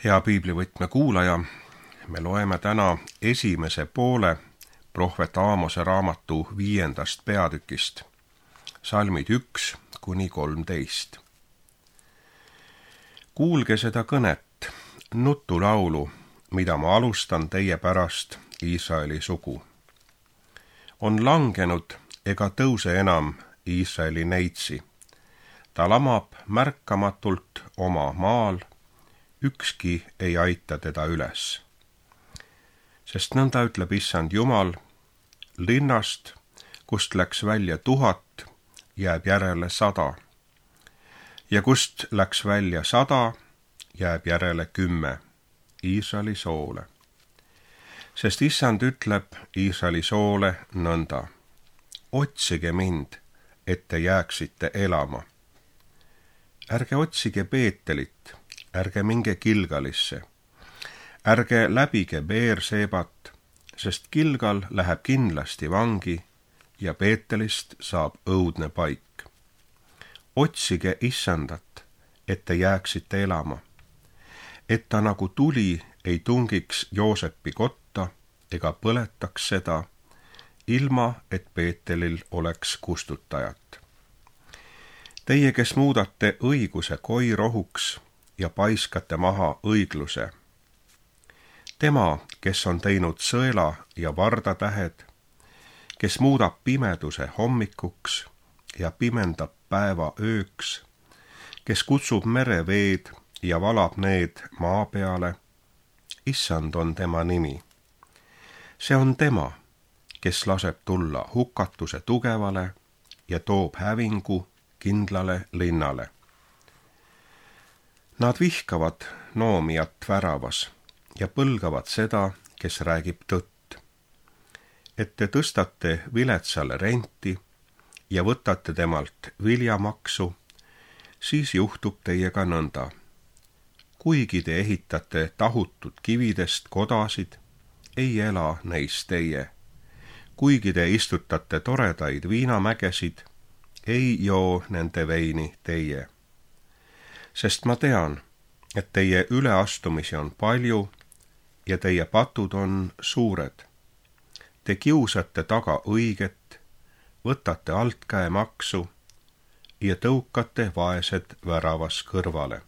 Hea piiblivõtme kuulaja, me loeme täna esimese poole prohvet Aamose raamatu 5. peatükist, salmid 1–13. Kuulge seda kõnet, nutulaulu, mida ma alustan teie pärast, Iisraeli sugu. On langenud ega tõuse enam Iisraeli neitsi. Ta lamab märkamatult oma maal, ükski ei aita teda üles. Sest nõnda ütleb Issand Jumal, linnast, kust läks välja 1000, jääb järele 100. Ja kust läks välja 100, jääb järele 10, Iisraeli soole. Sest Issand ütleb Iisraeli soole nõnda, otsige mind, et te jääksite elama. Ärge otsige Beetelit, ärge minge Gilgalisse, ärge läbige Beersebat, sest Gilgal läheb kindlasti vangi ja Beetelist saab õudne paik. Otsige Issandat, et te jääksite elama, et ta nagu tuli ei tungiks Joosepi kotta ega põletaks seda, ilma et Beetelil oleks kustutajat. Teie, kes muudate õiguse koirohuks ja paiskate maha õigluse. Tema, kes on teinud sõela ja vardatähed, kes muudab pimeduse hommikuks ja pimendab päeva ööks, kes kutsub mereveed ja valab need maa peale, Issand on tema nimi. See on tema, kes laseb tulla hukatuse tugevale ja toob hävingu kindlale linnale. Nad vihkavad noomijat väravas ja põlgavad seda, kes räägib tõtt. Et te tõstate viletsale renti ja võtate temalt viljamaksu, siis juhtub teiega nõnda. Kuigi te ehitate tahutud kividest kodasid, ei ela neis teie. Kuigi te istutate toredaid viinamägesid, ei joo nende veini teie. Sest ma tean, et teie üleastumisi on palju ja teie patud on suured. Te kiusate taga õiget, võtate altkäemaksu ja tõukate vaesed väravas kõrvale.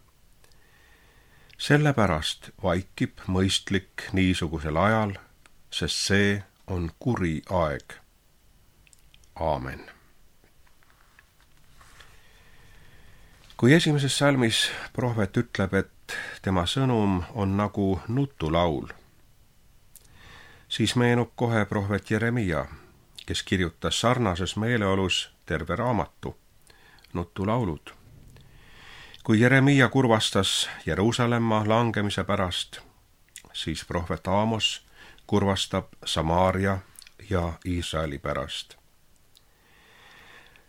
Sellepärast vaikib mõistlik niisugusel ajal, sest see on kuri aeg. Aamen. Kui esimeses salmis prohvet ütleb, et tema sõnum on nagu nutulaul, siis meenub kohe prohvet Jeremia, kes kirjutas sarnases meeleolus terve raamatu, nutulaulud. Kui Jeremia kurvastas Jeruusalemma langemise pärast, siis prohvet Aamos kurvastab Samaaria ja Iisraeli pärast.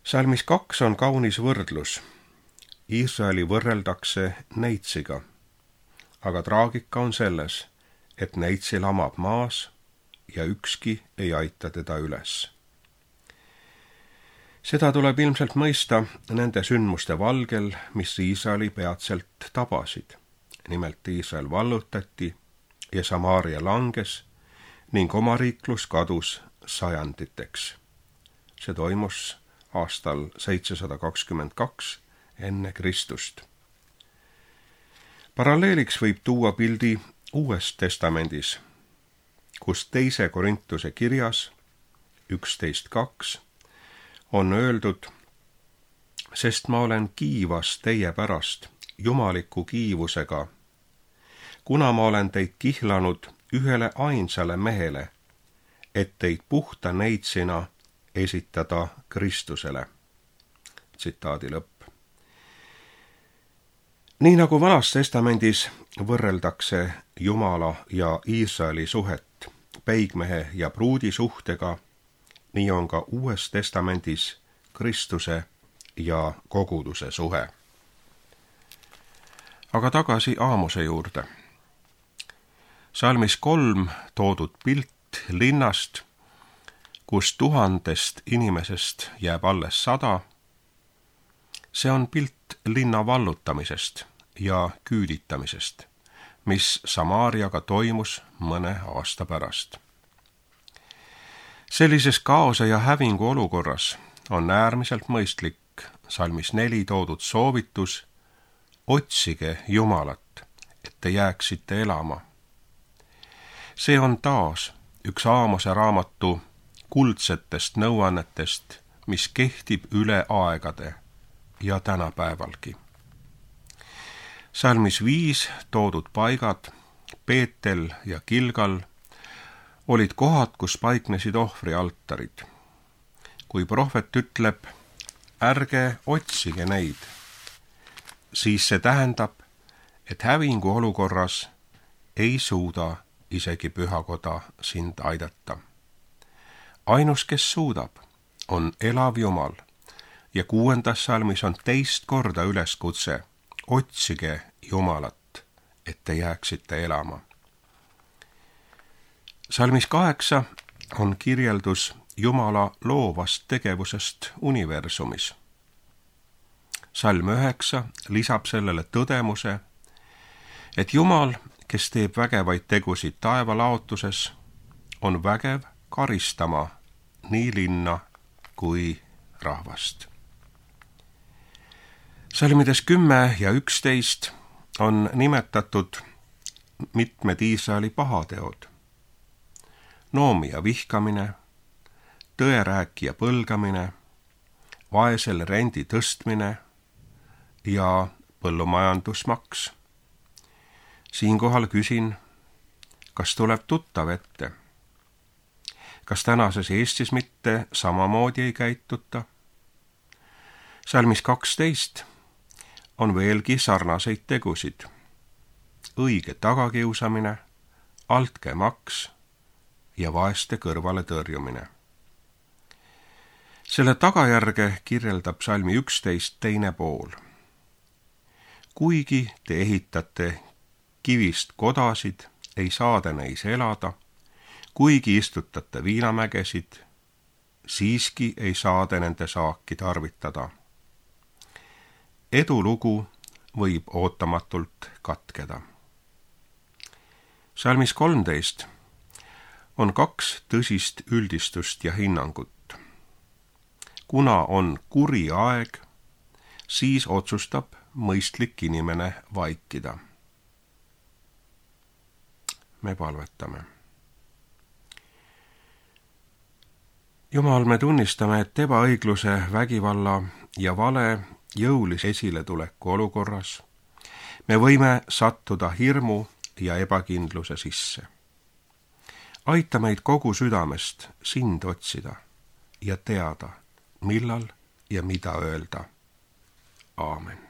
Salmis 2 on kaunis võrdlus. Iisraeli võrreldakse neitsiga, aga traagika on selles, et neitsi lamab maas ja ükski ei aita teda üles. Seda tuleb ilmselt mõista nende sündmuste valgel, mis Iisraeli peatselt tabasid. Nimelt Iisrael vallutati ja Samaaria langes ning omariiklus kadus sajanditeks. See toimus aastal 722 enne Kristust. Paralleeliks võib tuua pildi Uues Testamendis, kus 2. Korintuse kirjas 11.2 on öeldud, sest ma olen kiivas teie pärast jumaliku kiivusega, kuna ma olen teid kihlanud ühele ainsale mehele, et teid puhta neitsina esitada Kristusele. Tsitaadi lõpp. Nii nagu Vanas Testamendis võrreldakse Jumala ja Iisraeli suhet peigmehe ja pruudi suhtega, nii on ka Uues Testamendis Kristuse ja koguduse suhe. Aga tagasi Aamose juurde. Salmis 3 toodud pilt linnast, kus 1000 inimesest jääb alles 100, see on pilt linna vallutamisest ja küüditamisest, mis Samaariaga toimus mõne aasta pärast. Sellises kaose ja hävingu olukorras on äärmiselt mõistlik salmis 4 toodud soovitus: otsige Jumalat, et te jääksite elama. See on taas üks Aamose raamatu kuldsetest nõuannetest, mis kehtib üle aegade ja tänapäevalgi. Salmis 5 toodud paigad, Beetel ja Gilgal, olid kohad, kus paiknesid ohvrialtarid. Kui prohvet ütleb, ärge otsige neid, siis see tähendab, et hävingu olukorras ei suuda isegi pühakoda sind aidata. Ainus, kes suudab, on elav Jumal ja 6. salmis on 2 korda üleskutse: otsige Jumalat, et te jääksite elama. Salmis 8 on kirjeldus Jumala loovast tegevusest universumis. Salm 9 lisab sellele tõdemuse, et Jumal, kes teeb vägevaid tegusid taevalaotuses, on vägev karistama nii linna kui rahvast. Salmides 10 ja 11 on nimetatud mitmed Iisraeli pahateod: noomija vihkamine, tõerääkija põlgamine, vaesele rendi tõstmine ja põllumajandusmaks. Siinkohal küsin, kas tuleb tuttav ette? Kas tänases Eestis mitte samamoodi ei käituta? Salmis 12 on veelgi sarnaseid tegusid: õige tagakiusamine, altkäemaks ja vaeste kõrvale tõrjumine. Selle tagajärge kirjeldab salmi 11 teine pool. Kuigi te ehitate kivist kodasid, ei saa te neis elada, kuigi istutate viinamägesid, siiski ei saa te nende saaki tarvitada. Edulugu võib ootamatult katkeda. Salmis 13 on 2 tõsist üldistust ja hinnangut. Kuna on kuri aeg, siis otsustab mõistlik inimene vaikida. Me palvetame. Jumal, me tunnistame, et ebaõigluse, vägivalla ja vale jõulise esiletuleku olukorras me võime sattuda hirmu ja ebakindluse sisse. Aita meid kogu südamest sind otsida ja teada, millal ja mida öelda. Aamen.